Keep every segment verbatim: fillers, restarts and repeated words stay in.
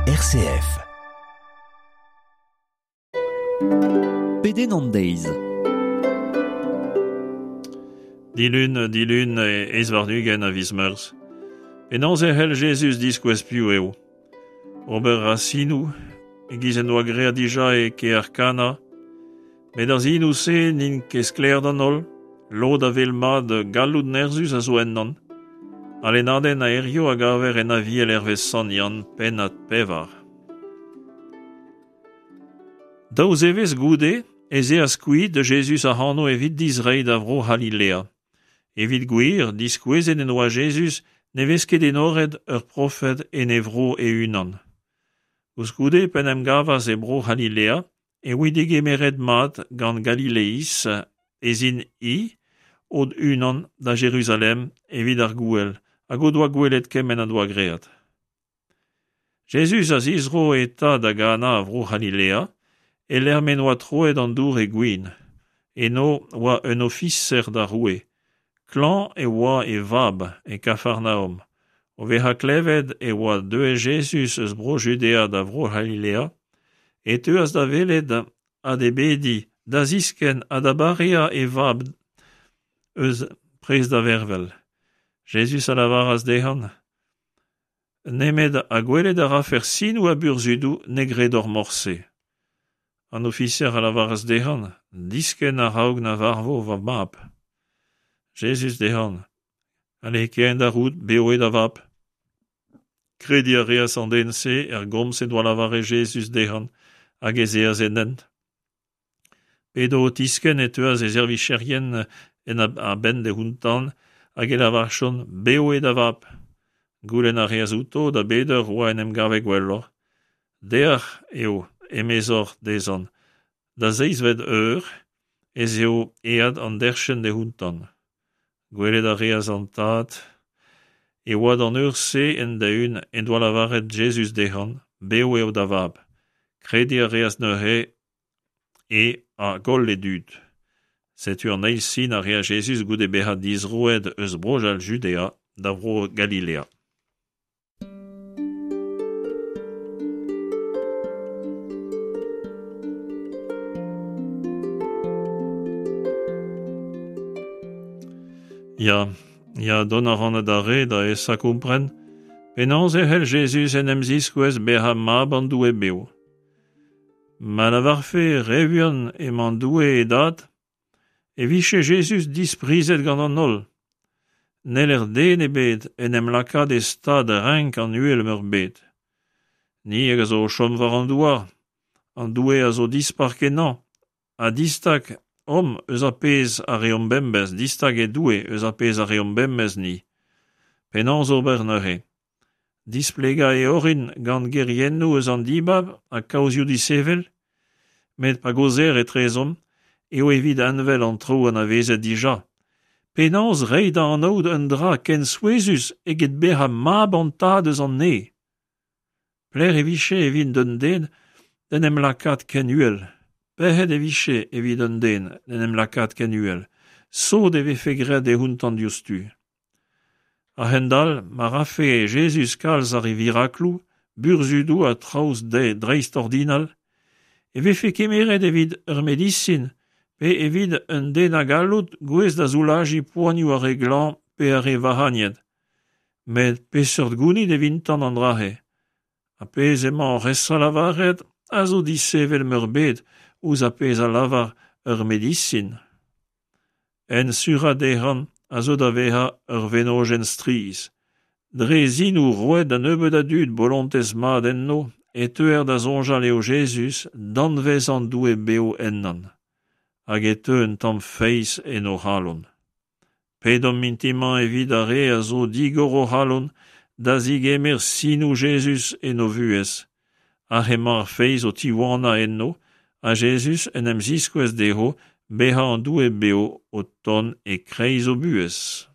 R C F. Pedenn an deiz. Dilun, dilun eizh warn-ugent a viz Meurzh. Penaos e c'hell Jezuz diskouez piv eo. Ober a sinoù, e-giz en doa graet dija e kêr Kana. Met ar sinoù-se n'int ket sklaer d'an holl, lod a wel mat galloud nerzhus a zo ennon. Al lennadenn a hirio a gaver en Aviel hervez Sant Yann, pennad pevar. Daou zevezh goude ez eas kuit de Jezuz ac'hano evit dizreiñ da vro C'halilea. Evit gwir, diskouezet en doa Jezuz ne vez ket enoret ur profed en e vro e-unan. Koulskoude, p'en em gavas e bro C'halilea, e voe degemeret mat gant Galileiz ez int-i o-unan da Jeruzalem evit ar gouel, hag o doa gwelet kement a doa graet. Jezuz a zizro eta da Gana a vro C'halilea, e lec'h m'en oa troet an dour e gwin. Eno oa un ofiser d'ar roue. Klañv e oa e vab e Kafarnaom. O vezañ klevet e oa deuet Jezuz eus bro Judea da vro C'halilea, e teuas da welet ha d'e bediñ, da ziskenn ha da bareañ e vab eus prest da vervel. Jezuz a lavaras dezhañ, nemet ha gwelet a rafec'h sinoù ha burzhudoù ne gredoc'h morse. An ofiser a lavaras dezhañ, diskenn a-raok na varvo va mab. Jezuz dezhañ, ale kae da roud, bev eo da vab. Krediñ a reas an den-se er gomz en doa lavaret Jezuz dezhañ hag ez eas en hent. P'edo o tiskenn e teuas e servicherien en a-benn d'e outañ hag e lavarchont, bev eo da vab. Goulenn a reas outo da bet eur oa en em gavet gwelloc'h. Dec'h eo, emezoc'h dezhañ, da seizhvet eur ez eo aet an derchenn d'e outañ. Gwelet a reas an tad e oa d'an eur-se end-eeun en doa lavaret Jezuz dezhañ, bev eo da vab. Krediñ a reas neuze e hag holl e dud. Setu an eil sin a reas Jezuz goude bezañ dizroet eus bro Judea da vro Galilea. Ya, ya, dont a ran da re da esa kompren, penaos e c'hell Jezuz en em ziskouez bezañ mab an Doue bev. Ma lavarfe re vuan emañ Doue e dad, e vije Jezuz disprizet gant an holl. N'heller den ebet en em lakaat e stad renk an uhel meurbet. Ni hag a zo o chom war an douar, an Doue a zo dispar kenañ, ha distag omp eus ar pezh a reomp bemdez, distag eo Doue eus ar pezh a reomp bemdez ni. Penaos ober neuze? Displegañ e orin gant geriennoù eus an dibab ha kaozioù disheñvel, met pa gaozeer etrezomp eo evit envel an traoù anavezet dija. Penaos reiñ da anaout un dra ken souezhus eget bezañ mab an tad eus an neñv. Pelec'h e vije evit un den d'en em lakaat ken uhel. Pec'hed e vije evit un den d'en em lakaat ken uhel. Sot e vefe graet e outañ diouzhtu. A-hend-all, ma rafe Jezuz kalz ar virakloù, burzhudoù ha traoù dreistordinal, e vefe kemeret evit ur medisin pe evit un den a galloud gouest da soulajiñ poanioù ar re glañv pe ar re vac'hagnet. Met peseurt gounid evintañ an dra-se? Ha pezh emañ oc'h esa lavaret a zo disheñvel meurbet ouzh ar pezh a lavar ur medisin. En surañ dezhañ a zo da vezañ ur wenodenn strizh. Dre sinoù roet da nebeut a dud bolontez mat enno e teuer da soñjal eo Jezuz danvez an Doue bev ennañ, hag e teu un tamm feiz en o c'halon. Pedomp mintin-mañ evit ar re a zo digor o c'halon da zigemer sinoù Jezuz en o vuhez. Hag emañ ar feiz o tiwanañ enno, ha Jezuz en em ziskouez dezho bezañ an Doue bev o tont e-kreiz o buhez.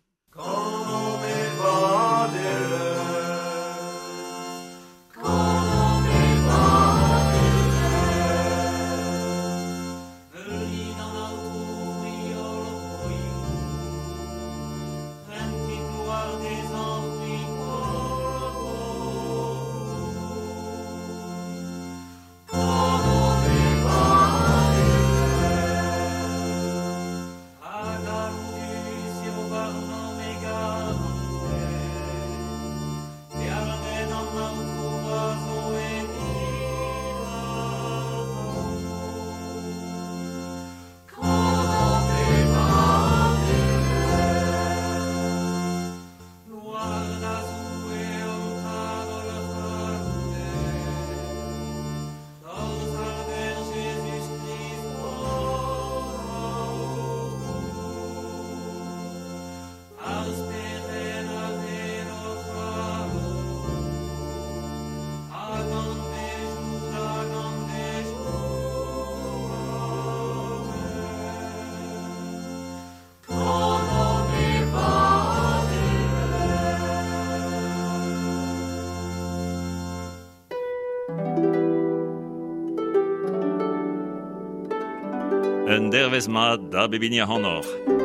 Un dervezh mat da bep hini ac'hanoc'h.